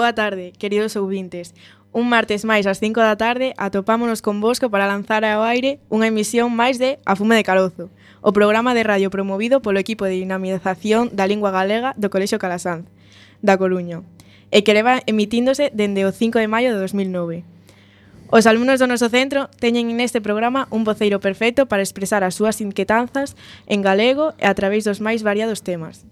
Boa tarde, queridos ouvintes. Un martes máis ás 5 da tarde atopámonos convosco para lanzar ao aire unha emisión máis de A Fume de Carozo, o programa de radio promovido polo equipo de dinamización da lingua galega do Colexio Calasanz, da Coruña, e que leva emitíndose dende o 5 de maio de 2009. Os alumnos do noso centro teñen neste programa un voceiro perfecto para expresar as súas inquietanzas en galego e a través dos máis variados temas.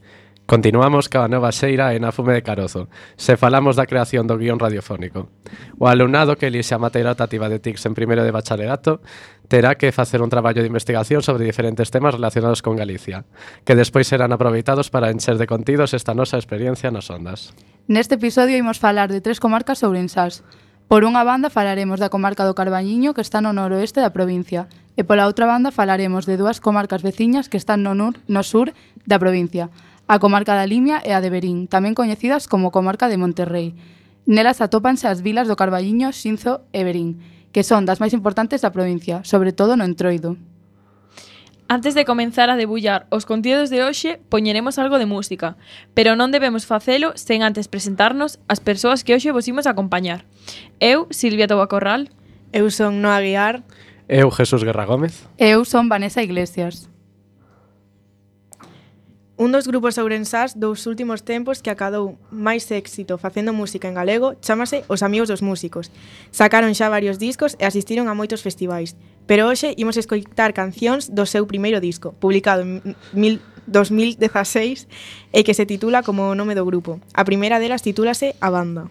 Continuamos ca nova xeira en A Fume de Carozo, se falamos da creación do guión radiofónico. O alumnado que elixe a materia optativa de TICS en primeiro de bacharelato terá que facer un traballo de investigación sobre diferentes temas relacionados con Galicia, que despois serán aproveitados para encher de contidos esta nosa experiencia nos Ondas. Neste episodio imos falar de 3 comarcas ourensás. Por unha banda falaremos da comarca do Carballiño, que está no noroeste da provincia, e pola outra banda falaremos de 2 comarcas veciñas que están no sur da provincia, a comarca da Limia e a de Verín, tamén coñecidas como comarca de Monterrei. Nelas atópanse as vilas do Carballiño, Xinzo e Verín, que son das máis importantes da provincia, sobre todo no Entroido. Antes de comenzar a debullar os contidos de hoxe, poñeremos algo de música, pero non debemos facelo sen antes presentarnos as persoas que hoxe vos imos acompañar. Eu, Silvia Toba Corral. Eu son Noa Guiar. Eu, Jesús Guerra Gómez. Eu son Vanessa Iglesias. Un dos grupos ourensás dos últimos tempos que acadou máis éxito facendo música en galego chámase Os Amigos dos Músicos. Sacaron xa varios discos e asistiron a moitos festivais, pero hoxe imos escoitar cancións do seu primeiro disco, publicado en 2016 e que se titula como o nome do grupo. A primeira delas titúlase A Banda.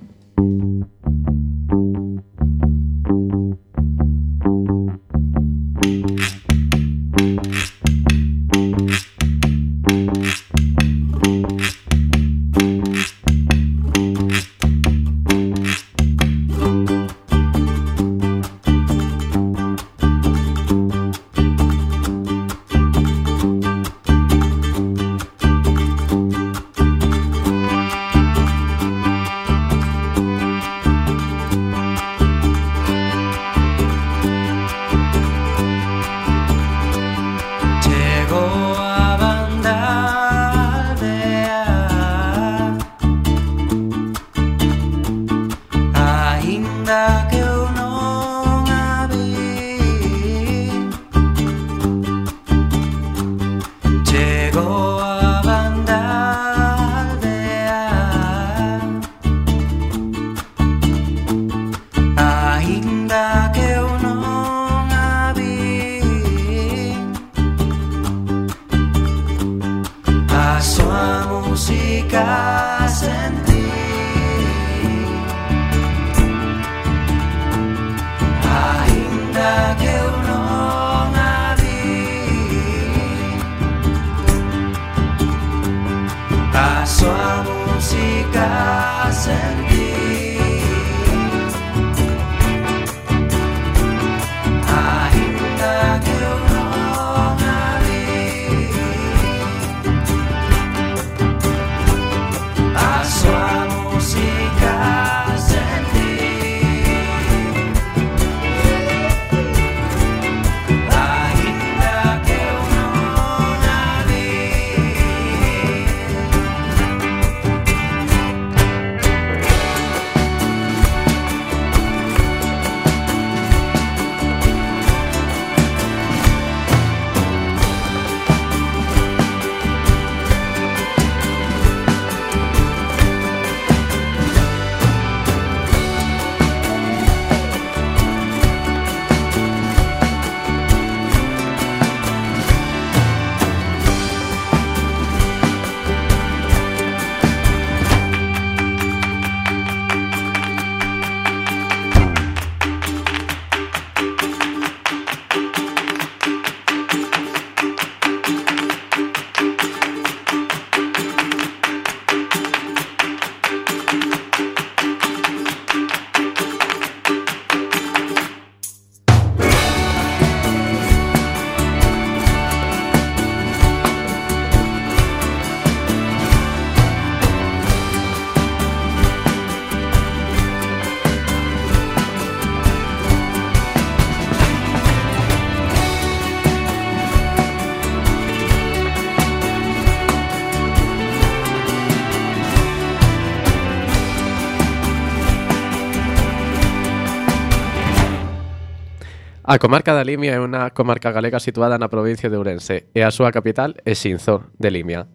A comarca da Limia é unha comarca galega situada na provincia de Ourense e a súa capital é Xinzo, de Limia.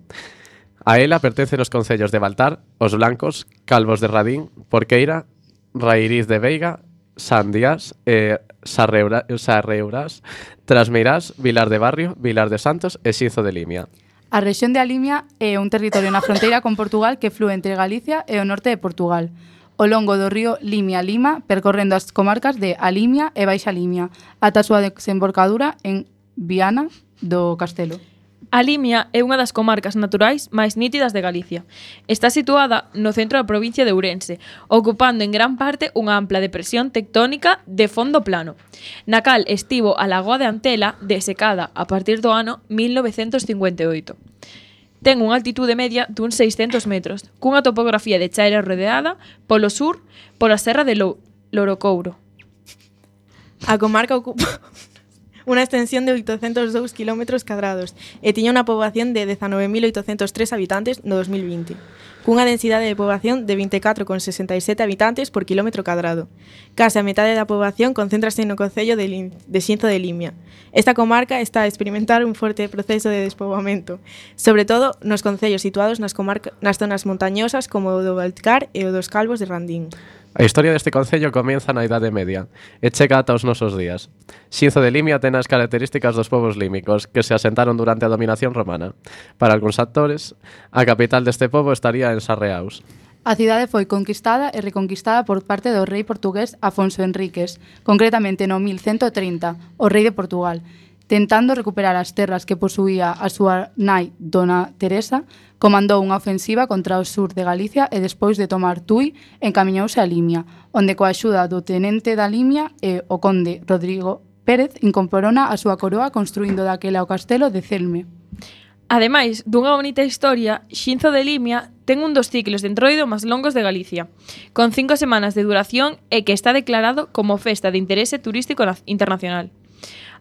A ela pertencen os concellos de Baltar, Os Blancos, Calvos de Radín, Porqueira, Rairiz de Veiga, Sandiás, Sarreurás, Trasmeirás, Vilar de Barrio, Vilar de Santos e Xinzo de Limia. A rexión de Alimia é un territorio na fronteira con Portugal que flúe entre Galicia e o norte de Portugal, ao longo do río Limia-Lima, percorrendo as comarcas de Alimia e Baixa Limia, ata a súa desembocadura en Viana do Castelo. A Limia é unha das comarcas naturais máis nítidas de Galicia. Está situada no centro da provincia de Ourense, ocupando en gran parte unha ampla depresión tectónica de fondo plano, na cal estivo a lagoa de Antela desecada a partir do ano 1958. Ten unha altitude media duns 600 metros, cunha topografía de chaira rodeada polo sur pola serra de Lorocouro. A comarca ocupa unha extensión de 802 km cadrados e tiña unha poboación de 19.803 habitantes no 2020, cunha densidade de poboación de 24,67 habitantes por kilómetro cadrado. Case a metade da poboación concéntrase no concello de Xinzo de Limia. Esta comarca está a experimentar un forte proceso de despoboamento, sobre todo nos concellos situados nas zonas montañosas como o do Baltar e o dos Calvos de Radín. A historia deste concello comienza na Idade Media e chega ata os nosos días. Xinzo de Limia ten as características dos povos límicos que se asentaron durante a dominación romana. Para algúns actores, a capital deste pobo estaría en Sarreaus. A cidade foi conquistada e reconquistada por parte do rei portugués Afonso Henriques, concretamente no 1130, o rei de Portugal, tentando recuperar as terras que posuía a súa nai Dona Teresa, comandou unha ofensiva contra o sur de Galicia e despois de tomar Tui, encamiñouse a Limia, onde coa axuda do tenente da Limia e o conde Rodrigo Pérez incorporona a súa coroa construindo daquela o castelo de Celme. Ademais dunha bonita historia, Xinzo de Limia ten un dos ciclos de entroido máis longos de Galicia, con 5 semanas de duración e que está declarado como Festa de Interese Turístico Internacional.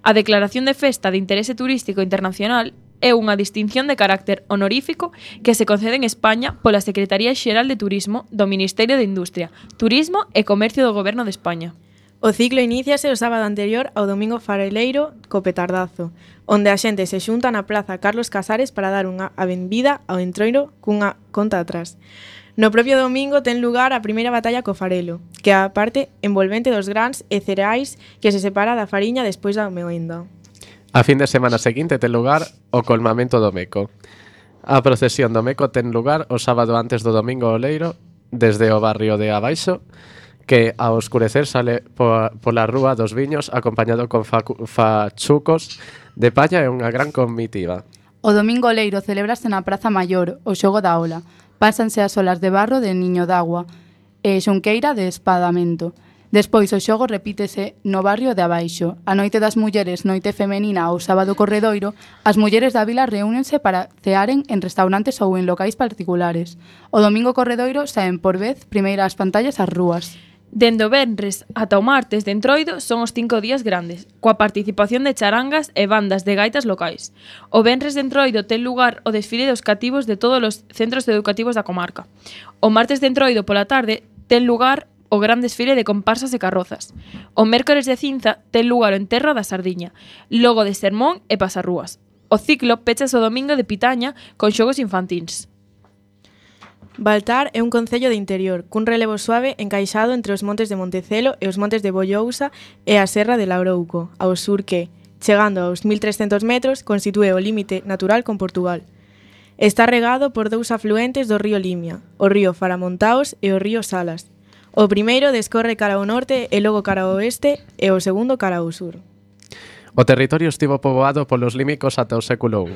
A Declaración de Festa de Interese Turístico Internacional é unha distinción de carácter honorífico que se concede en España pola Secretaría Xeral de Turismo do Ministerio de Industria, Turismo e Comercio do Goberno de España. O ciclo iníciase o sábado anterior ao domingo fareleiro co petardazo, onde a xente se xunta na Praza Carlos Casares para dar unha benvida ao entroido cunha conta atrás. No propio domingo ten lugar a primeira batalla co farelo, que é a parte envolvente dos grans e cereais que se separa da fariña despois da moenda. A fin de semana seguinte ten lugar o colmamento do Meco. A procesión do Meco ten lugar o sábado antes do domingo oleiro desde o barrio de Abaixo, que ao oscurecer sale pola rúa dos Viños acompañado con fachucos de palla e unha gran comitiva. O domingo oleiro celebrase na Praza Maior o xogo da ola. Pásanse as olas de barro de Niño d'Agua e xunqueira de Espadamento. Despois o xogo repítese no barrio de Abaixo. A noite das mulleres, noite femenina ou sábado corredoiro, as mulleres da vila reúnense para cearen en restaurantes ou en locais particulares. O domingo corredoiro saen por vez primeiras pantallas ás rúas. Dende o venres ata o martes de entroido son os 5 días grandes, coa participación de charangas e bandas de gaitas locais. O venres de entroido ten lugar o desfile dos cativos de todos os centros educativos da comarca. O martes de entroido pola tarde ten lugar o gran desfile de comparsas e carrozas. O mércores de cinza ten lugar o enterro da sardiña, logo de sermón e pasarrúas. O ciclo pechase o domingo de pitaña con xogos infantís. Baltar é un concello de interior, cun relevo suave encaixado entre os montes de Montecelo e os montes de Bollousa e a serra de Lourouco, ao sur que, chegando aos 1.300 metros, constitúe o límite natural con Portugal. Está regado por dous afluentes do río Limia, o río Faramontaos e o río Salas. O primeiro descorre cara ao norte e logo cara ao oeste e o segundo cara ao sur. O territorio estivo poboado polos límicos ata o século I,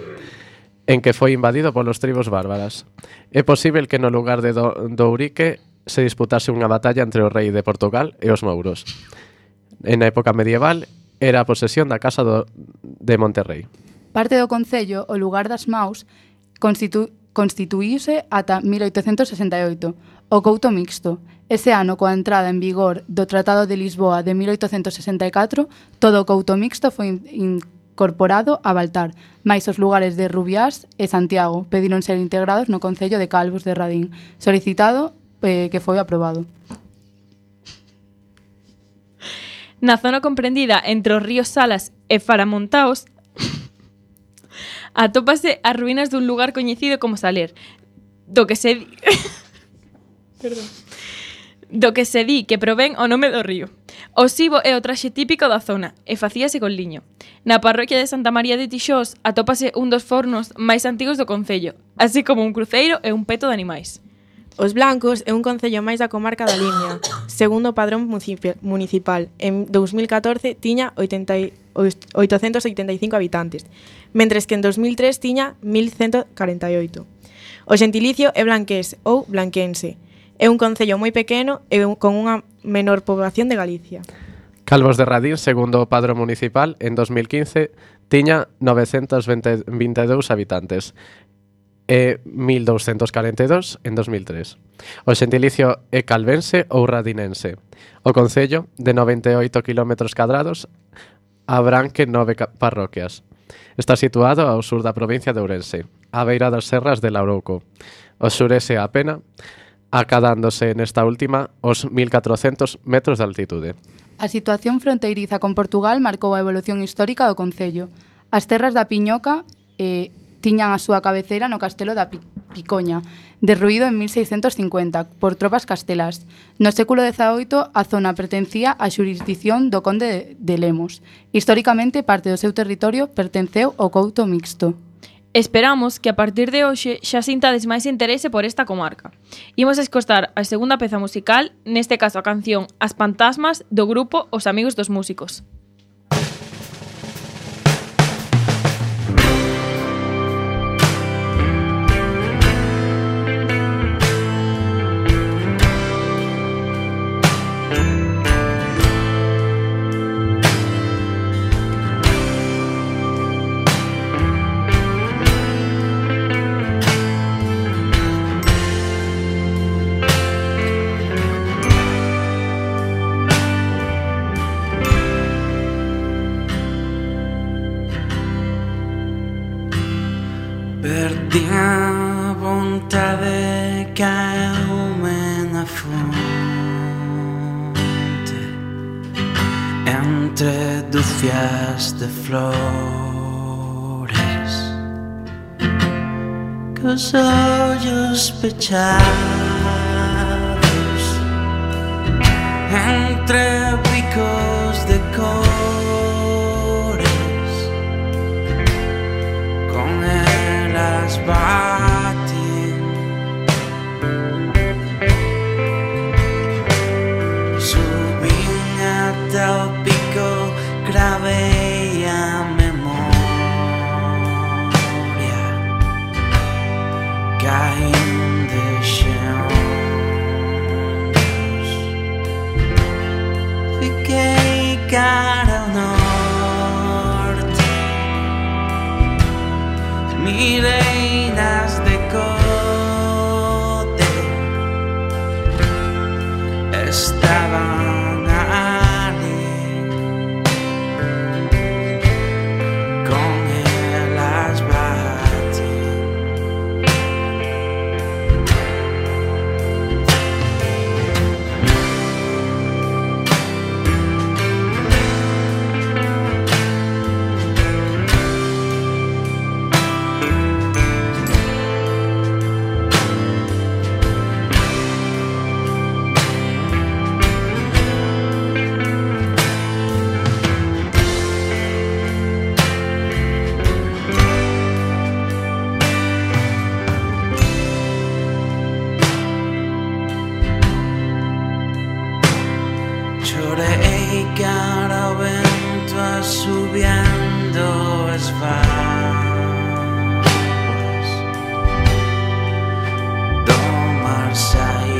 en que foi invadido polos tribos bárbaras. É posible que no lugar de Dourique se disputase unha batalla entre o rei de Portugal e os mouros. En a época medieval era a posesión da casa de Monterrey. Parte do concello, o lugar das Maus, constituíuse ata 1868, o Couto Mixto. Ese ano, coa entrada en vigor do Tratado de Lisboa de 1864, todo o Couto Mixto foi incorporado a Baltar, máis os lugares de Rubiás e Santiago pediron ser integrados no concello de Calvos de Radín, solicitado que foi aprobado. Na zona comprendida entre os ríos Salas e Faramontaos atópase as ruínas dun lugar coñecido como Saler, do que se di que provén o nome do río. O sibo é o traxe típico da zona e facíase con liño. Na parroquia de Santa María de Tixós atópase un dos fornos máis antigos do concello, así como un cruceiro e un peto de animais. Os Blancos é un concello máis da comarca da Limia. Segundo o padrón municipal, en 2014 tiña 885 habitantes, mentres que en 2003 tiña 1148. O xentilicio é blanqués ou blanquense. É un concello moi pequeno e con unha menor poboación de Galicia. Calvos de Radín, segundo o padrón municipal, en 2015 tiña 922 habitantes e 1242 en 2003. O xentilicio é calvense ou radinense. O concello, de 98 km², abranque 9 parroquias. Está situado ao sur da provincia de Ourense, á beira das serras de Lourouco. O surese a Pena, acadándose nesta última os 1400 metros de altitude. A situación fronteiriza con Portugal marcou a evolución histórica do concello. As terras da Piñoca tiñan a súa cabeceira no castelo da Picoña, derruído en 1650 por tropas castelás. No século XVIII a zona pertencía á xurisdición do conde de Lemos. Históricamente parte do seu territorio pertenceu ao Couto Mixto. Esperamos que a partir de hoxe xa sintades máis interese por esta comarca. Imos escoitar a segunda peza musical, neste caso a canción As Pantasmas do grupo Os Amigos dos Músicos. Perdi a vontade, caeume na fonte entre dúcias de flores, cos ollos pechados entre bicos de cores, con elas baten, subín ata o pico, gravei a memoria, caín de xeondos, fiquei cara ao norte, mirei nas decote, estaban ali, con elas baten. Chorei cara ao vento, assobiando as vagas do mar saímos,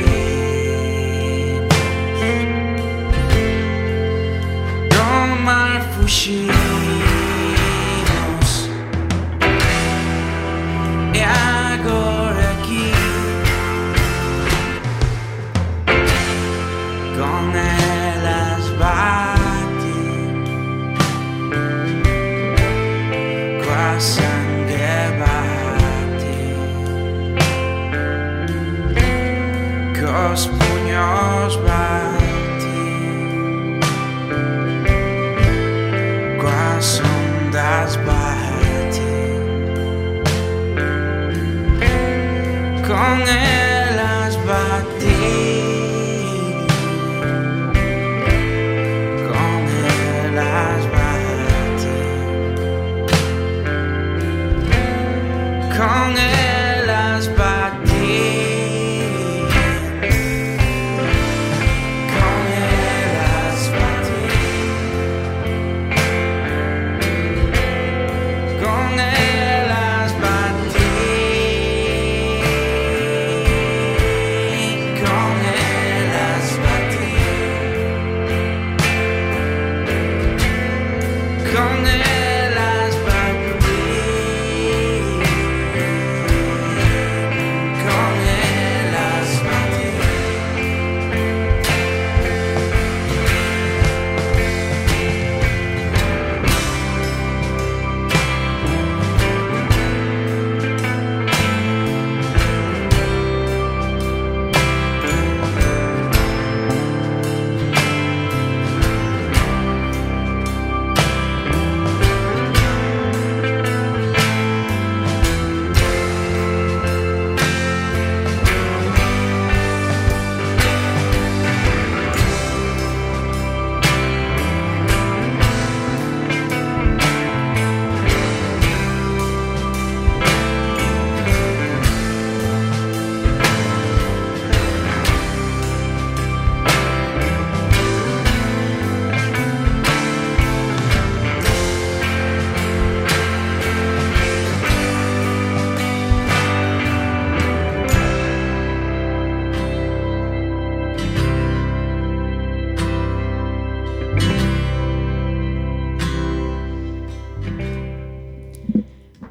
do mar fugimos, e agora aqui con elas baten, coa sangue bate, cos puños baten. elas bate, con elas bate, con elas bate, con elas bate.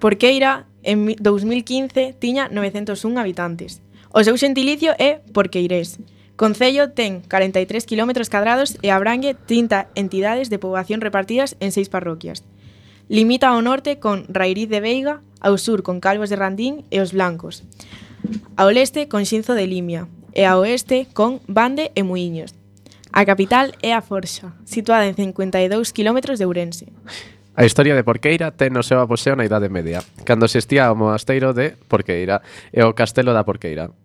Porqueira, en 2015, tiña 901 habitantes. O seu xentilicio é porqueirés. Concello ten 43 km cadrados e abrangue 30 entidades de poboación repartidas en 6 parroquias. Limita ao norte con Rairiz de Veiga, ao sur con Calvos de Randín e Os Blancos, ao leste con Xinzo de Limia e ao oeste con Bande e Muíños. A capital é a Forxa, situada en 52 km de Ourense. A historia de Porqueira ten o seu apogeo na Idade Media, cando existía o monasteiro de Porqueira e o castelo da Porqueira,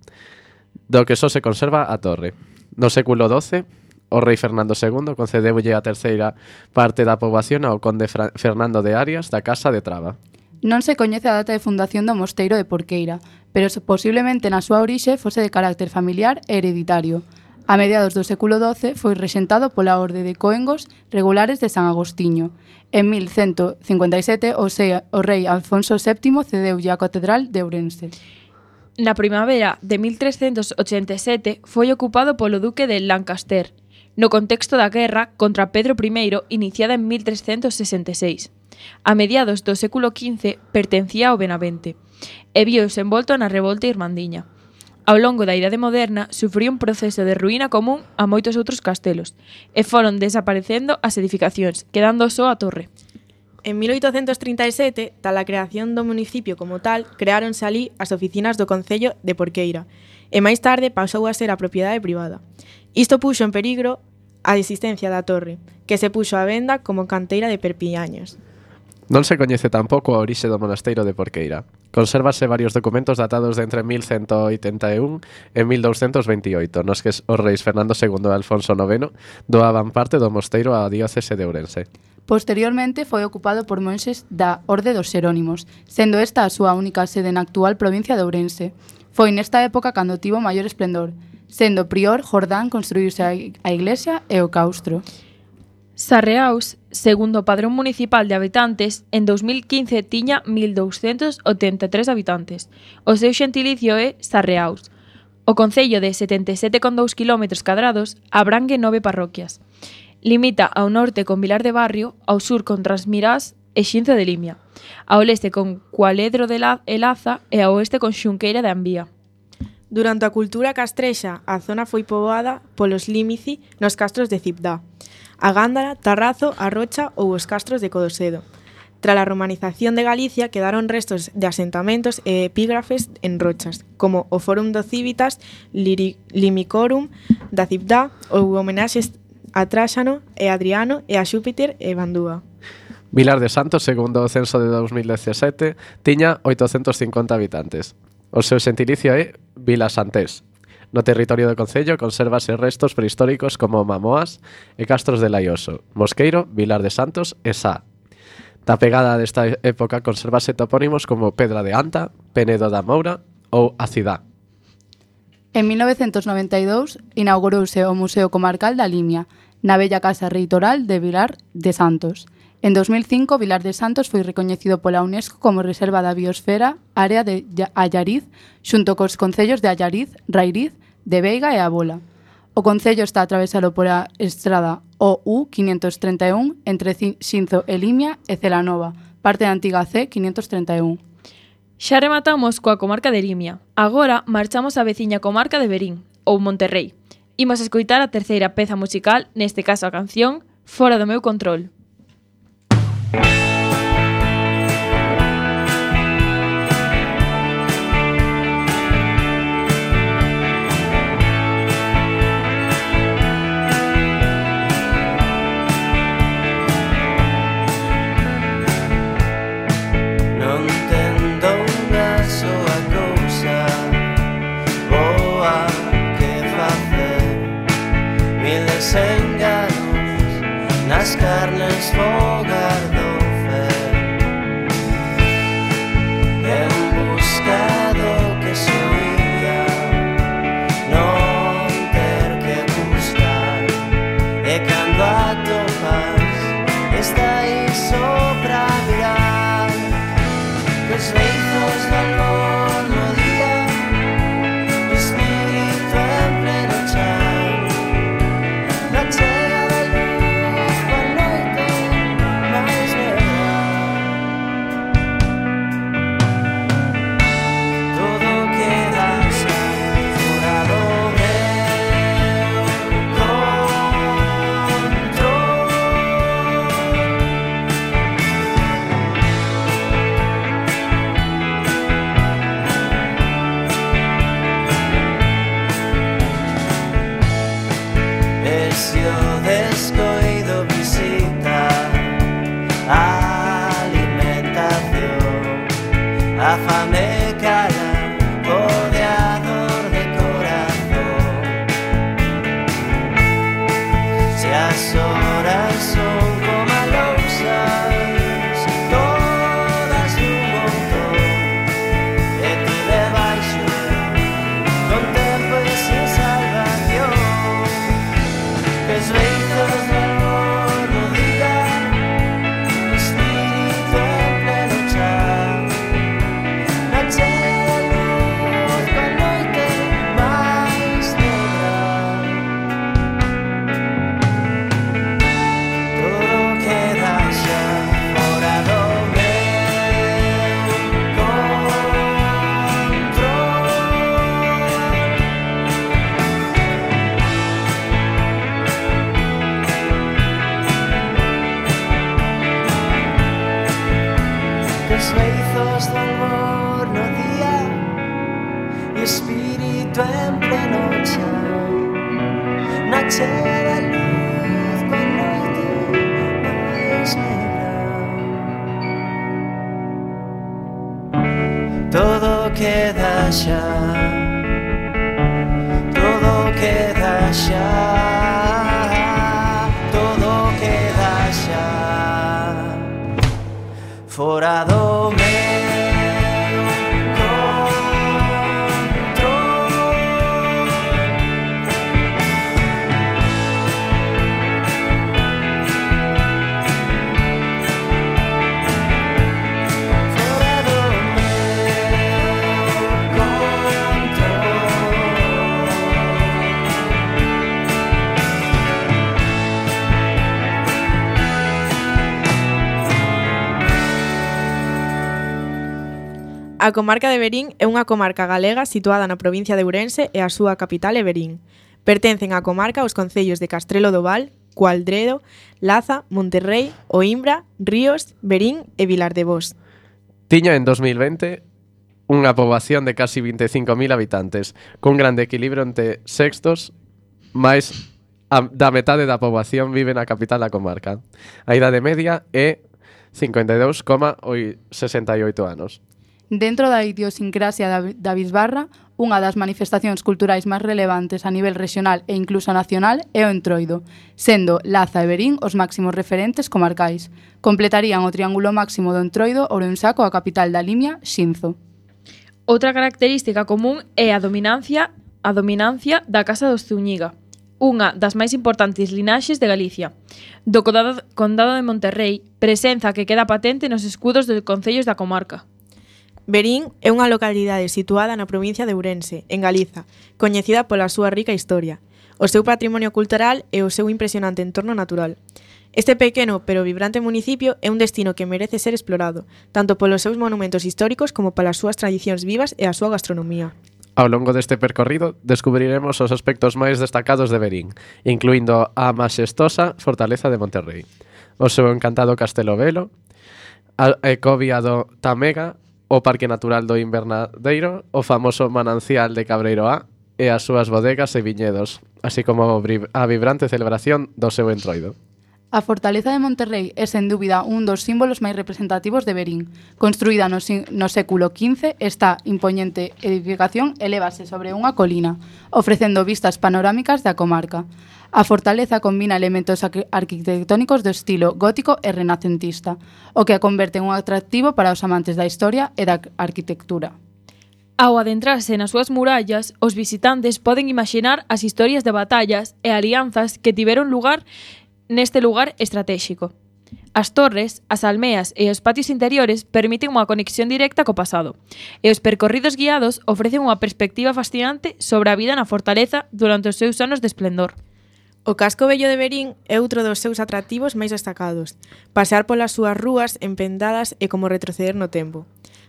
do que só se conserva a torre. No século XII, o rei Fernando II concedeulle a terceira parte da poboación ao conde Fernando de Arias da Casa de Traba. Non se coñece a data de fundación do mosteiro de Porqueira, pero posiblemente na súa orixe fose de carácter familiar e hereditario. A mediados do século XII foi rexentado pola Orde de Coengos Regulares de San Agostiño. En 1157, o rei Alfonso VII cedeulle a Catedral de Ourense. Na primavera de 1387 foi ocupado polo duque de Lancaster, no contexto da guerra contra Pedro I iniciada en 1366. A mediados do século XV pertencía ao Benavente e viouse envolto na revolta irmandiña. Ao longo da Idade Moderna sufriu un proceso de ruína común a moitos outros castelos e foron desaparecendo as edificacións, quedando só a torre. En 1837, tal a creación do municipio como tal, creáronse ali as oficinas do Concello de Porqueira e máis tarde pasou a ser a propiedade privada. Isto puxo en perigo a existencia da torre, que se puxo á venda como canteira de perpiñaños. Non se coñece tampouco a orixe do monasteiro de Porqueira. Consérvase varios documentos datados de entre 1181 e 1228, nos que os reis Fernando II e Alfonso IX doaban parte do mosteiro á diócese de Ourense. Posteriormente foi ocupado por monxes da Orde dos Xerónimos, sendo esta a súa única sede na actual provincia de Ourense. Foi nesta época cando tivo maior esplendor, sendo prior Jordán construíuse a iglesia e o claustro. Sarreaus, segundo o padrón municipal de habitantes, en 2015 tiña 1.283 habitantes. O seu xentilicio é Sarreaus. O concello de 77,2 km cadrados abrangue 9 parroquias. Limita ao norte con Vilar de Barrio, ao sur con Trasmirás e Xinzo de Limia, ao leste con Cualedro de Laza e ao oeste con Xunqueira de Ambía. Durante a cultura castrexa, a zona foi poboada polos límici nos castros de Cibdá, a Gándara, Tarrazo, a Rocha ou os castros de Codosedo. Tras a romanización de Galicia quedaron restos de asentamentos e epígrafes en rochas, como o Fórum do Civitas Limicorum da Cibdá ou homenaxes a Tráxano e Adriano e a Xúpiter e Bandúa. Vilar de Santos, segundo o censo de 2017, tiña 850 habitantes. O seu xentilicio é vilasantés. No territorio do concello consérvase restos prehistóricos como Mamoas e Castros de Laioso, Mosqueiro, Vilar de Santos e Sá. Da pegada desta época consérvase topónimos como Pedra de Anta, Penedo da Moura ou A Cidá. En 1992 inaugurouse o Museo Comarcal da Limia, na bella Casa Reitoral de Vilar de Santos. En 2005, Vilar de Santos foi recoñecido pola UNESCO como Reserva da Biosfera Área de Allariz, xunto cos concellos de Allariz, Rairiz, de Veiga e A Bola. O concello está atravesado pola estrada OU 531 entre Xinzo e Limia e Celanova, parte da antiga C 531. Xa rematamos coa comarca de Limia. Agora marchamos á veciña comarca de Verín, ou Monterrei. Imos escoitar a terceira peza musical, neste caso a canción Fora do meu control. Non tendo unha soa cousa boa que facer, miles enganos nas carnes fogar do fer, en busca do que soía, non ter que buscar, e cando atopas está aí só pra mirar, que os ventos do amor no día, o espírito en pleno chan, na chega da luz coa noite máis negra. Todo queda xa fora do meu control. E se o descoido visita a alimentación, a fame cala pode a dor de corazón. Se as horas son como a lousas, todas dun montón, e ti debaixo, con tempo e sin salvación, que os ventos do amor no día, o espírito en pleno chan, na chega da luz coa noite máis negra. Todo queda xa fora do meu control. Que os beizos do amor no día e o espírito en pleno chan, na chega da luz coa noite máis negra. Todo queda xa, todo queda xa, todo queda xa fora do meu A comarca de Verín é unha comarca galega situada na provincia de Ourense e a súa capital é Verín. Pertencen á comarca os concellos de Castrelo do Val, Cualdredo, Laza, Monterrei, Oimbra, Ríos, Verín e Vilar de Bos. Tiña en 2020 unha poboación de casi 25.000 habitantes, cun grande equilibrio entre sextos, da metade da poboación vive na capital da comarca. A idade media é 52,68 anos. Dentro da idiosincrasia da bisbarra, unha das manifestacións culturais máis relevantes a nivel regional e incluso nacional é o Entroido, sendo Laza e Verín os máximos referentes comarcais. Completarían o triángulo máximo do Entroido Ourensá coa capital da Limia, Xinzo. Outra característica común é a dominancia da Casa dos Zúñiga, unha das máis importantes linaxes de Galicia. Do Condado de Monterrei, presenza que queda patente nos escudos dos concellos da comarca. Verín é unha localidade situada na provincia de Ourense, en Galiza, coñecida pola súa rica historia, o seu patrimonio cultural e o seu impresionante entorno natural. Este pequeno pero vibrante municipio é un destino que merece ser explorado, tanto polos seus monumentos históricos como polas súas tradicións vivas e a súa gastronomía. Ao longo deste percorrido, descubriremos os aspectos máis destacados de Verín, incluindo a maxestosa Fortaleza de Monterrei, o seu encantado Castelo Velo, a ecovía do Tamega, o Parque Natural do Invernadeiro, o famoso Manancial de Cabreiroá e as súas bodegas e viñedos, así como a vibrante celebración do seu Entroido. A Fortaleza de Monterrei é, sen dúbida, un dos símbolos máis representativos de Verín. Construída no século XV, esta impoñente edificación elévase sobre unha colina, ofrecendo vistas panorámicas da comarca. A fortaleza combina elementos arquitectónicos do estilo gótico e renacentista, o que a converte en un atractivo para os amantes da historia e da arquitectura. Ao adentrarse nas súas murallas, os visitantes poden imaxinar as historias de batallas e alianzas que tiveron lugar neste lugar estratéxico. As torres, as almeas e os patios interiores permiten unha conexión directa co pasado, e os percorridos guiados ofrecen unha perspectiva fascinante sobre a vida na fortaleza durante os seus anos de esplendor. O casco vello de Verín é outro dos seus atractivos máis destacados. Pasear polas súas rúas empendadas é como retroceder no tempo.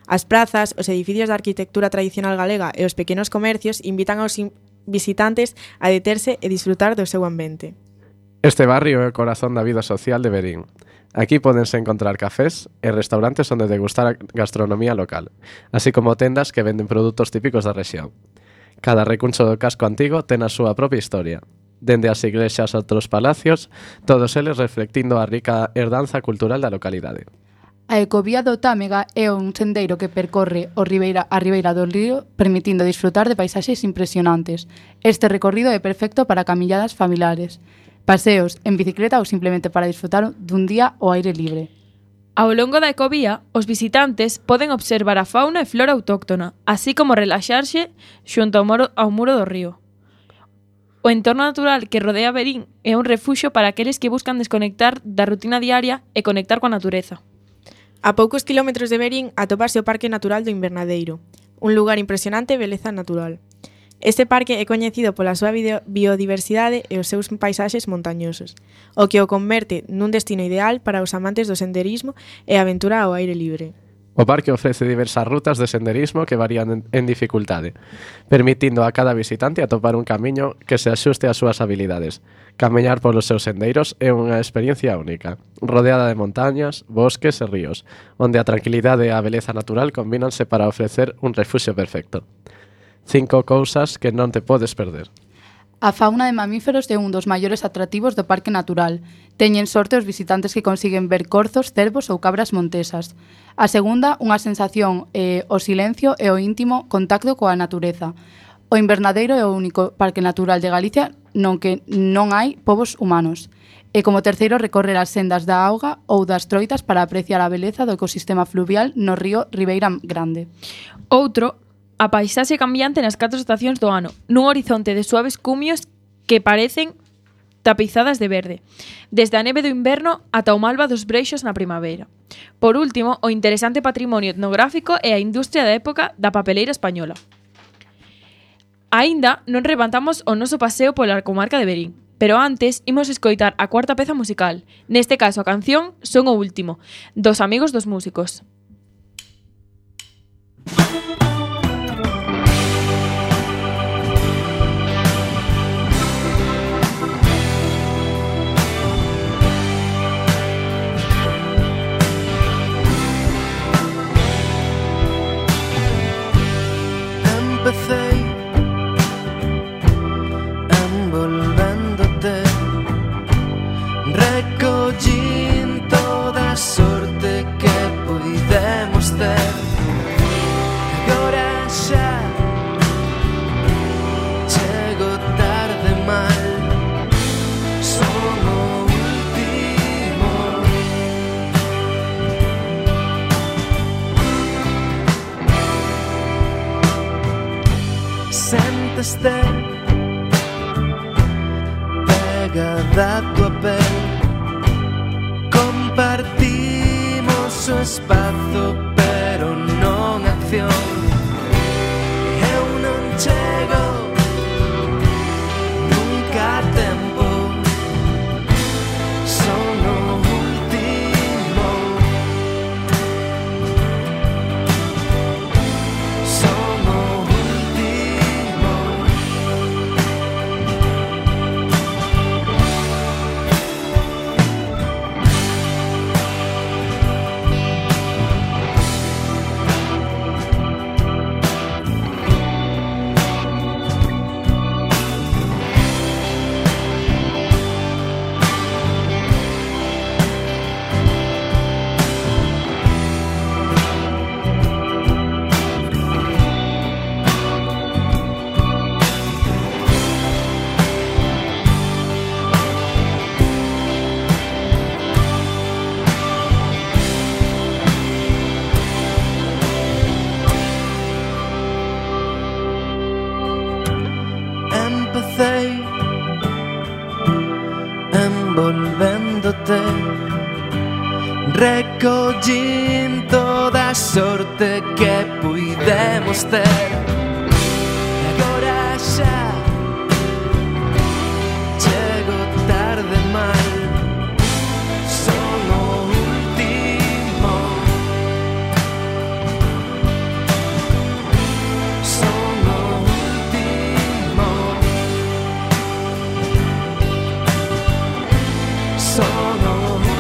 As prazas, os edificios da arquitectura tradicional galega e os pequenos comercios invitan aos visitantes a deterse e disfrutar do seu ambiente. Este barrio é o corazón da vida social de Verín. Aquí pódense encontrar cafés e restaurantes onde degustar a gastronomía local, así como tendas que venden produtos típicos da rexión. Cada recuncho do casco antigo ten a súa propia historia. Dende as iglesias a outros palacios, todos eles reflectindo a rica herdanza cultural da localidade. A ecovía do Támega é un sendeiro que percorre a ribeira do río, permitindo disfrutar de paisaxes impresionantes. Este recorrido é perfecto para camilladas familiares, paseos en bicicleta ou simplemente para disfrutar dun día ao aire libre. Ao longo da ecovía, os visitantes poden observar a fauna e flora autóctona, así como relaxarse xunto ao muro do río. O entorno natural que rodea Verín é un refuxio para aqueles que buscan desconectar da rutina diaria e conectar coa natureza. A poucos kilómetros de Verín atopase o Parque Natural do Invernadeiro, un lugar impresionante de beleza natural. Este parque é coñecido pola súa biodiversidade e os seus paisaxes montañosos, o que o converte nun destino ideal para os amantes do senderismo e a aventura ao aire libre. O parque ofrece diversas rutas de senderismo que varían en dificultade, permitindo a cada visitante atopar un camiño que se axuste ás súas habilidades. Camiñar polos seus sendeiros é unha experiencia única, rodeada de montañas, bosques e ríos, onde a tranquilidade e a beleza natural combínanse para ofrecer un refuxio perfecto. 5 cousas que non te podes perder. A fauna de mamíferos é un dos maiores atractivos do Parque Natural. Teñen sorte os visitantes que consiguen ver corzos, cervos ou cabras montesas. A segunda, unha sensación o silencio e o íntimo contacto coa natureza. O Invernadeiro é o único parque natural de Galicia non que non hai povos humanos. E como terceiro, recorrer as sendas da auga ou das troitas para apreciar a beleza do ecosistema fluvial no río Ribeira Grande. Outro, a paisaxe cambiante nas 4 estacións do ano, nun horizonte de suaves cumios que parecen tapizadas de verde, desde a neve do inverno ata o malva dos breixos na primavera. Por último, o interesante patrimonio etnográfico e a industria da época da papeleira española. Aínda non rematamos o noso paseo pola comarca de Verín, pero antes imos escoitar a cuarta peza musical, neste caso a canción Son o Último, dos Amigos dos Músicos. Empecé envolvéndote, recollín toda sorte este pegada a tua pel. Compartimos o espazo, pero non acción. Eu non chego nunca a tempo. Son o último. Son o último. Empecé envolvéndote, recollín toda a sorte que puidemos ter. Agora xa chego tarde mal. Son o último. Son o último. Son o último.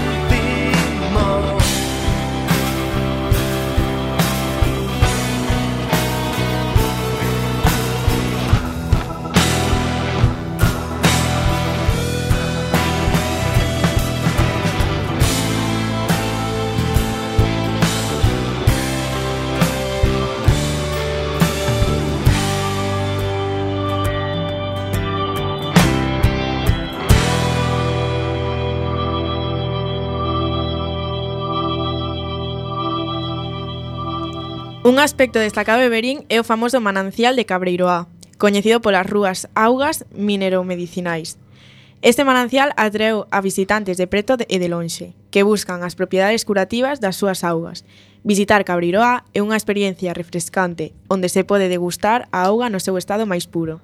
Un aspecto destacado de Verín é o famoso manancial de Cabreiroá, coñecido polas rúas augas mineromedicinais. Este manancial atraeu a visitantes de preto e de lonxe, que buscan as propiedades curativas das súas augas. Visitar Cabreiroá é unha experiencia refrescante, onde se pode degustar a auga no seu estado máis puro.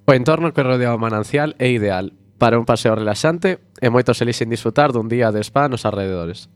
O entorno que rodea o manancial é ideal para un paseo relaxante e moitos elixen disfrutar dun día de spa nos arredores.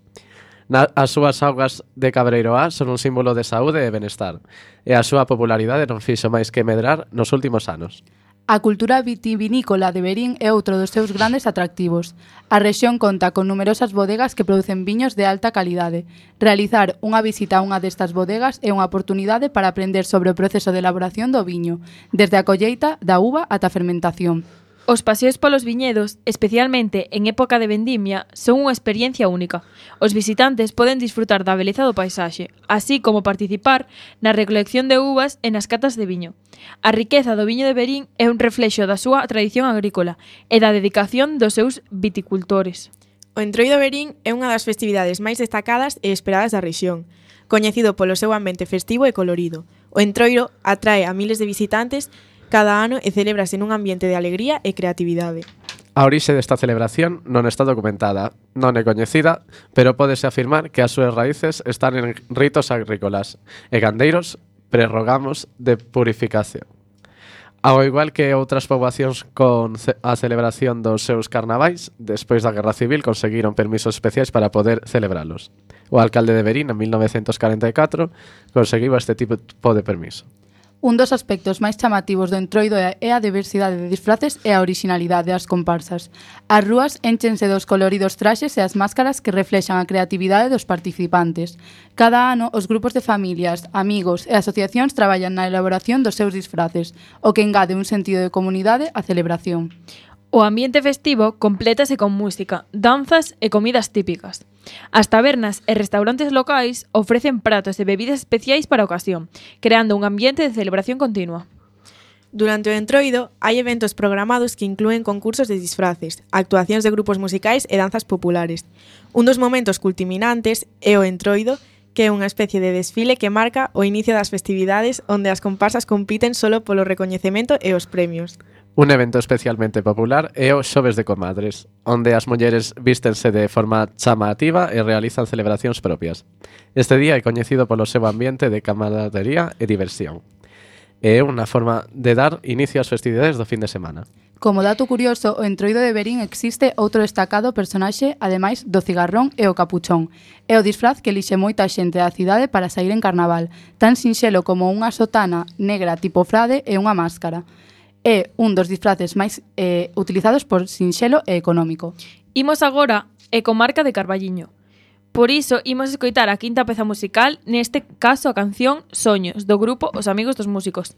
As súas augas de Cabreiroá son un símbolo de saúde e benestar, e a súa popularidade non fixo máis que medrar nos últimos anos. A cultura vitivinícola de Verín é outro dos seus grandes atractivos. A rexión conta con numerosas bodegas que producen viños de alta calidade. Realizar unha visita a unha destas bodegas é unha oportunidade para aprender sobre o proceso de elaboración do viño, desde a colleita da uva ata a fermentación. Os paseos polos viñedos, especialmente en época de vendimia, son unha experiencia única. Os visitantes poden disfrutar da beleza do paisaxe, así como participar na recolección de uvas e nas catas de viño. A riqueza do viño de Verín é un reflexo da súa tradición agrícola e da dedicación dos seus viticultores. O Entroido Verín é unha das festividades máis destacadas e esperadas da rexión, coñecido polo seu ambiente festivo e colorido. O Entroido atrae a miles de visitantes cada ano e celébrase nun ambiente de alegría e creatividade. A orixe desta celebración non está documentada, non é coñecida, pero pódese afirmar que as súas raíces están en ritos agrícolas e gandeiros prerrogamos de purificación. Ao igual que outras poboacións con a celebración dos seus carnavais, despois da Guerra Civil conseguiron permisos especiais para poder celebralos. O alcalde de Verín, en 1944, conseguiu este tipo de permiso. Un dos aspectos máis chamativos do Entroido é a diversidade de disfraces e a orixinalidade das comparsas. As rúas énchense dos coloridos traxes e as máscaras que reflexan a creatividade dos participantes. Cada ano, os grupos de familias, amigos e asociacións traballan na elaboración dos seus disfraces, o que engade un sentido de comunidade á celebración. O ambiente festivo complétase con música, danzas e comidas típicas. As tabernas e restaurantes locais ofrecen pratos e bebidas especiais para a ocasión, creando un ambiente de celebración continua. Durante o Entroido hai eventos programados que inclúen concursos de disfraces, actuacións de grupos musicais e danzas populares. Un dos momentos culminantes é o Entroido, que é unha especie de desfile que marca o inicio das festividades onde as comparsas compiten solo polo recoñecemento e os premios. Un evento especialmente popular é o Xoves de Comadres, onde as mulleres vístense de forma chamativa e realizan celebracións propias. Este día é coñecido polo seu ambiente de camaradería e diversión. É unha forma de dar inicio ás festividades do fin de semana. Como dato curioso, o Entroido de Verín existe outro destacado personaxe, ademais do cigarrón e o capuchón. É o disfraz que elixe moita xente da cidade para sair en carnaval, tan sinxelo como unha sotana negra tipo frade e unha máscara. É un dos disfraces máis utilizados por sinxelo e económico. Imos agora e comarca de Carballiño. Por iso, imos escoitar a quinta peza musical, neste caso a canción Soños, do grupo Os Amigos dos Músicos.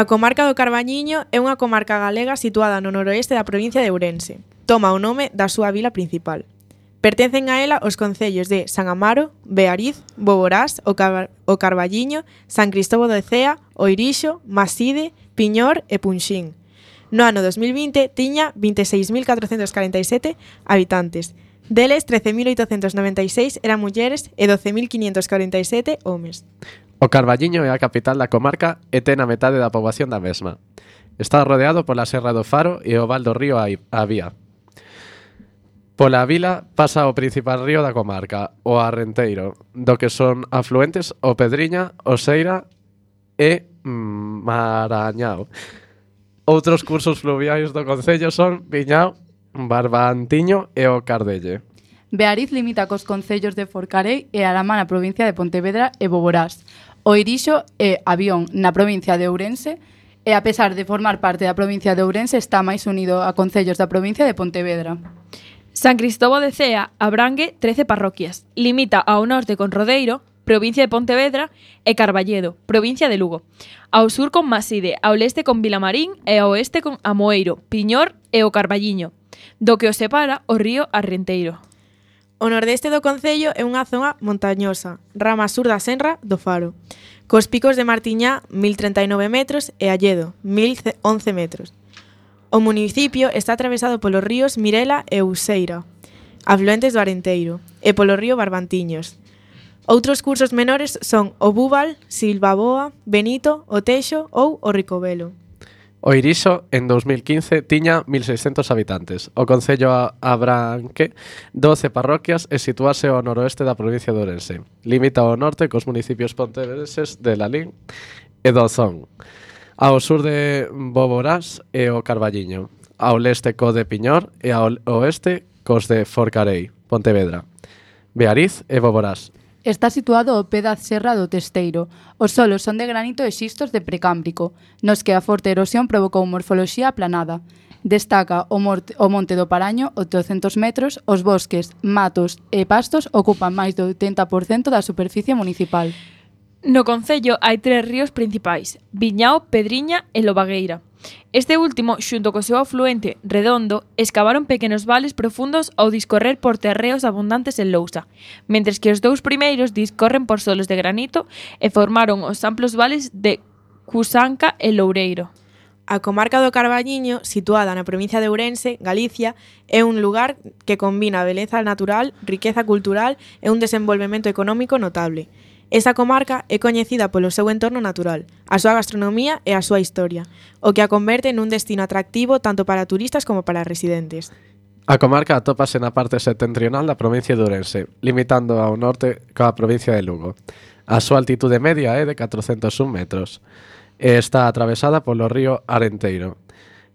A comarca do Carballiño é unha comarca galega situada no noroeste da provincia de Ourense. Toma o nome da súa vila principal. Pertencen a ela os concellos de San Amaro, Beariz, Boborás, o Carballiño, San Cristóbal de Cea, Oirixo, Maside, Piñor e Punxín. No ano 2020 tiña 26.447 habitantes. Deles, 13.896 eran mulleres e 12.547 homes. O Carballiño é a capital da comarca e ten a metade da poboación da mesma. Está rodeado pola Serra do Faro e o val do río Avía. Pola vila pasa o principal río da comarca, o Arrenteiro, do que son afluentes o Pedriña, o Seira e Marañao. Outros cursos fluviais do concello son Viñao, Barbantiño e o Cardelle. Beariz limita cos concellos de Forcarei e Aramá na provincia de Pontevedra e Boborás. Oirixo e Avión na provincia de Ourense e a pesar de formar parte da provincia de Ourense está máis unido a concellos da provincia de Pontevedra. San Cristóbal de Cea abrangue 13 parroquias. Limita ao norte con Rodeiro, provincia de Pontevedra, e Carballedo, provincia de Lugo. Ao sur con Maside, ao leste con Vilamarín e ao oeste con Amoeiro, Piñor e o Carballiño, do que os separa o río Arrenteiro. O nordeste do concello é unha zona montañosa, rama sur da Senra do Faro, cos picos de Martiñá, 1039 metros, e Alledo, 1011 metros. O municipio está atravesado polos ríos Mirela e Useira, afluentes do Arenteiro, e polo río Barbantiños. Outros cursos menores son o Búbal, Silvaboa, Benito, o Teixo ou o Ricovelo. O Irixo, en 2015, tiña 1.600 habitantes. O concello abranque 12 parroquias e situase ao noroeste da provincia de Ourense. Limita ao norte cos municipios pontevedreses de Lalín e Dozón. Ao sur de Boborás e o Carballiño. Ao leste co de Piñor e ao oeste cos de Forcarei, Pontevedra, Beariz e Boborás. Está situado ao pé da Serra do Testeiro. Os solos son de granito e xistos de precámbrico, nos que a forte erosión provocou morfoloxía aplanada. Destaca o Monte do Paraño, 800 metros, os bosques, matos e pastos ocupan máis do 80% da superficie municipal. No concello hai 3 ríos principais, Viñao, Pedriña e Lobagueira. Este último, xunto co seu afluente Redondo, escavaron pequenos vales profundos ao discorrer por terreos abundantes en lousa, mentres que os 2 primeiros discorren por solos de granito e formaron os amplos vales de Cusanca e Loureiro. A comarca do Carballiño, situada na provincia de Ourense, Galicia, é un lugar que combina beleza natural, riqueza cultural e un desenvolvemento económico notable. Esa comarca é coñecida polo seu entorno natural, a súa gastronomía e a súa historia, o que a converte nun destino atractivo tanto para turistas como para residentes. A comarca atópase na parte setentrional da provincia de Ourense, limitando ao norte coa provincia de Lugo. A súa altitude media é de 401 metros e está atravesada polo río Arenteiro,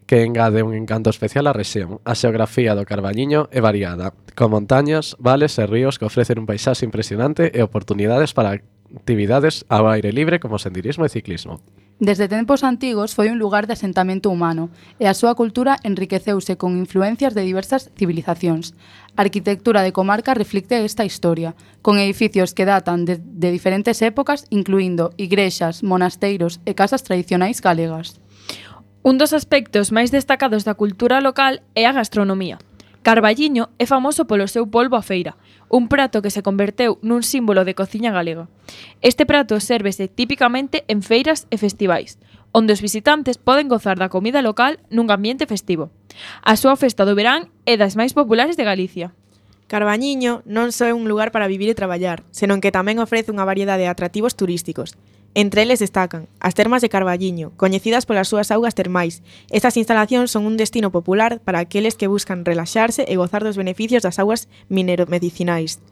que engade un encanto especial á rexión. A xeografía do Carballiño é variada, con montañas, vales e ríos que ofrecen un paisaxe impresionante e oportunidades para actividades ao aire libre como senderismo e ciclismo. Desde tempos antigos foi un lugar de asentamento humano e a súa cultura enriqueceuse con influencias de diversas civilizacións. A arquitectura de comarca reflicte esta historia, con edificios que datan de diferentes épocas, incluindo igrexas, monasteiros e casas tradicionais galegas. Un dos aspectos máis destacados da cultura local é a gastronomía. Carballiño é famoso polo seu polvo a feira, un prato que se converteu nun símbolo de cociña galega. Este prato sérvese típicamente en feiras e festivais, onde os visitantes poden gozar da comida local nun ambiente festivo. A súa festa do verán é das máis populares de Galicia. Carballiño non só é un lugar para vivir e traballar, senón que tamén ofrece unha variedade de atractivos turísticos. Entre eles destacan as termas de Carballiño, coñecidas polas súas augas termais. Estas instalacións son un destino popular para aqueles que buscan relaxarse e gozar dos beneficios das augas mineromedicinais.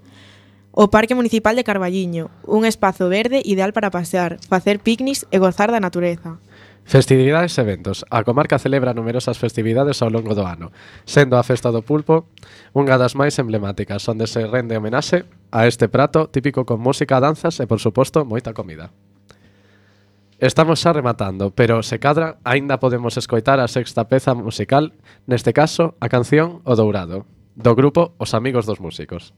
O Parque Municipal de Carballiño, un espazo verde ideal para pasear, facer picnics e gozar da natureza. Festividades e eventos. A comarca celebra numerosas festividades ao longo do ano, sendo a Festa do Pulpo unha das máis emblemáticas, onde se rende homenaxe a este prato típico con música, danzas e, por suposto, moita comida. Estamos xa rematando, pero se cadra, aínda podemos escoitar a sexta peza musical, neste caso, a canción O Dourado, do grupo Os Amigos dos Músicos.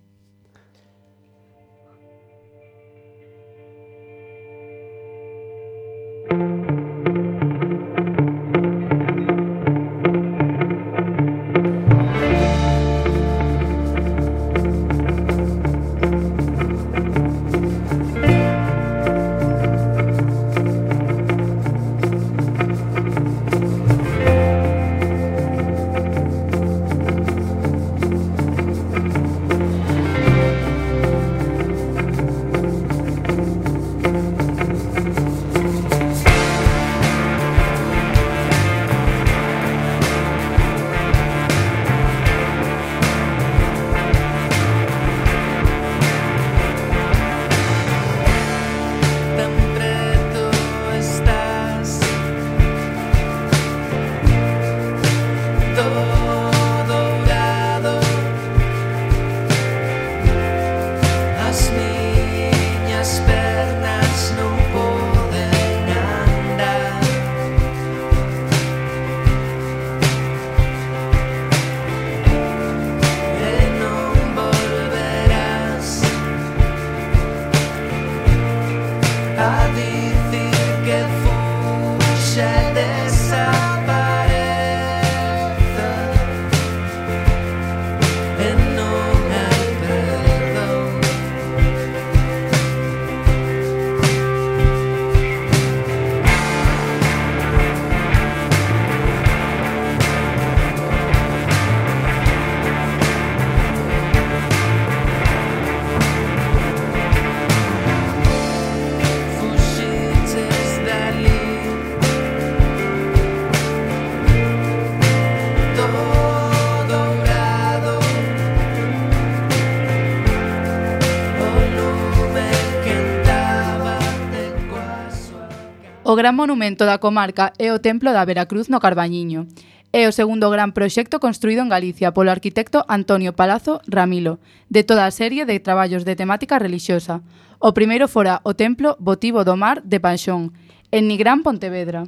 O gran monumento da comarca é o Templo da Veracruz no Carballiño. É o segundo gran proxecto construído en Galicia polo arquitecto Antonio Palazzo Ramilo, de toda a serie de traballos de temática relixiosa. O primeiro fora o Templo Votivo do Mar de Panxón, en Nigrán, Pontevedra.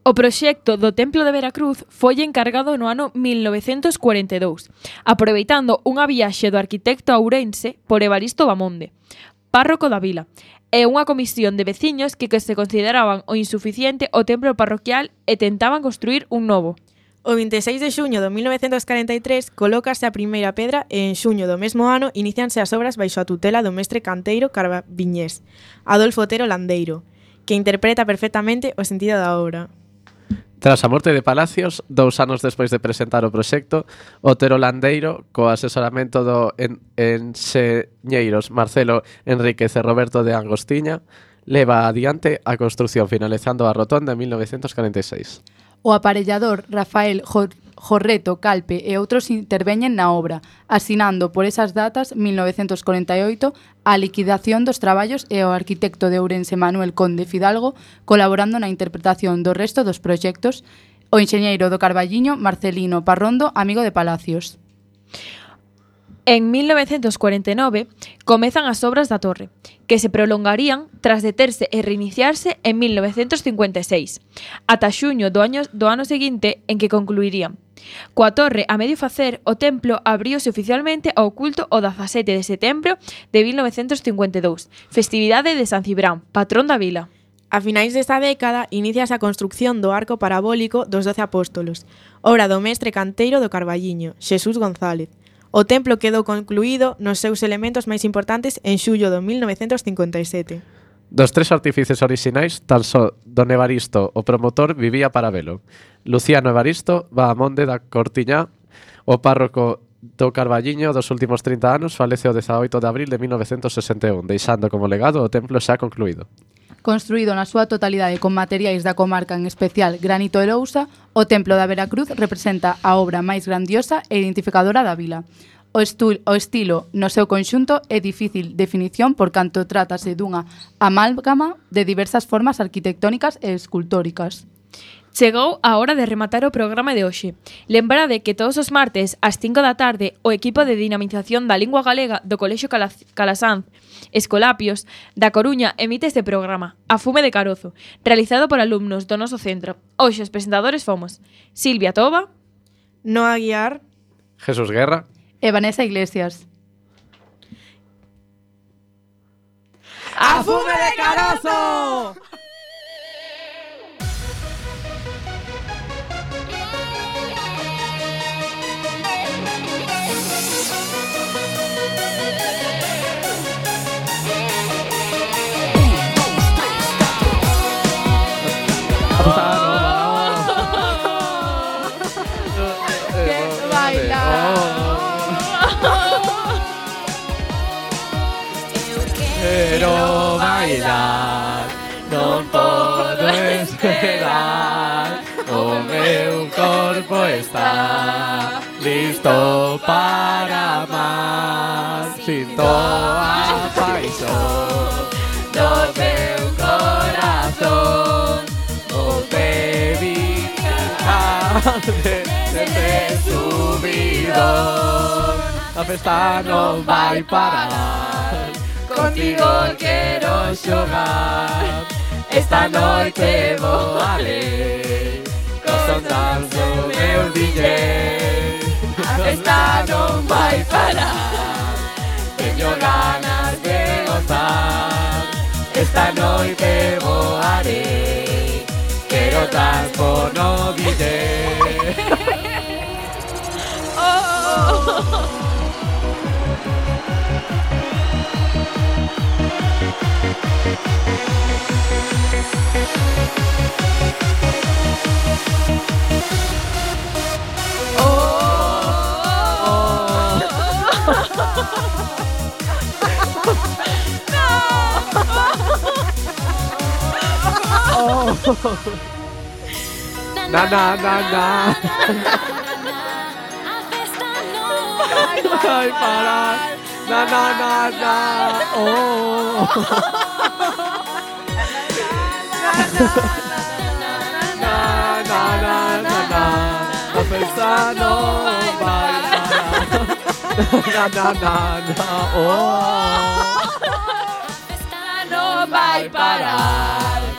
O proxecto do Templo de Veracruz foi encargado no ano 1942, aproveitando unha viaxe do arquitecto ourense por Evaristo Bamonde, párroco da vila, e unha comisión de veciños que se consideraban o insuficiente o templo parroquial e tentaban construir un novo. O 26 de xuño de 1943 colócase a primeira pedra e en xuño do mesmo ano inicianse as obras baixo a tutela do mestre canteiro carbaviñés, Adolfo Otero Landeiro, que interpreta perfectamente o sentido da obra. Tras a morte de Palacios, 2 anos despois de presentar o proxecto, Otero Landeiro, co asesoramento do enxeñeiros Marcelo Enríquez e Roberto de Angostiña, leva adiante a construción finalizando a rotonda en 1946. O aparellador Rafael Jorreto Calpe e outros interveñen na obra, asinando por esas datas 1948 a liquidación dos traballos e o arquitecto de Ourense Manuel Conde Fidalgo colaborando na interpretación do resto dos proxectos, o enxeñeiro do Carballiño Marcelino Parrondo, amigo de Palacios. En 1949 comezan as obras da torre, que se prolongarían tras deterse e reiniciarse en 1956, ata xuño do ano seguinte en que concluirían. Coa torre a medio facer, o templo abríose oficialmente ao culto o 17 de setembro de 1952, festividade de San Cibrán, patrón da vila. A finais desta década iniciase a construción do arco parabólico dos 12 apóstolos, obra do mestre canteiro do Carballiño, Xesús González. O templo quedou concluído nos seus elementos máis importantes en xullo de 1957. Dos 3 artífices orixinais, tan só don Evaristo, o promotor, vivía para velo. Luciano Evaristo, Bahamonde da Cortiñá, o párroco do Carballiño dos últimos 30 anos, falece o 18 de abril de 1961, deixando como legado o templo xa concluído. Construído na súa totalidade con materiais da comarca, en especial granito e lousa, o Templo da Veracruz representa a obra máis grandiosa e identificadora da vila. O estilo no seu conxunto é difícil definición por canto trátase dunha amálgama de diversas formas arquitectónicas e escultóricas. Chegou a hora de rematar o programa de hoxe. Lembrade que todos os martes ás 5 da tarde o equipo de dinamización da lingua galega do Colexio Calasanz Escolapios da Coruña emite este programa, A Fume de Carozo, realizado por alumnos do noso centro. Hoxe os presentadores fomos Silvia Toba, Noa Guiar, Jesús Guerra e Vanessa Iglesias. ¡A fume de Carozo! Quiero bailar, non podo esperar. O meu corpo está listo para amar. Sinto a paixón do meu corazón. O baby desde subidón. A festa non vai parar. Contigo quero xogar. Esta noite vou alé. Con danzo meu DJ. A festa non vai parar. Teño ganas de gozar. Esta noite vou alé. Quero danzo no DJ. Na na na na. Vai parar. Na na na na. Oh. A festa non vai parar. non vai parar.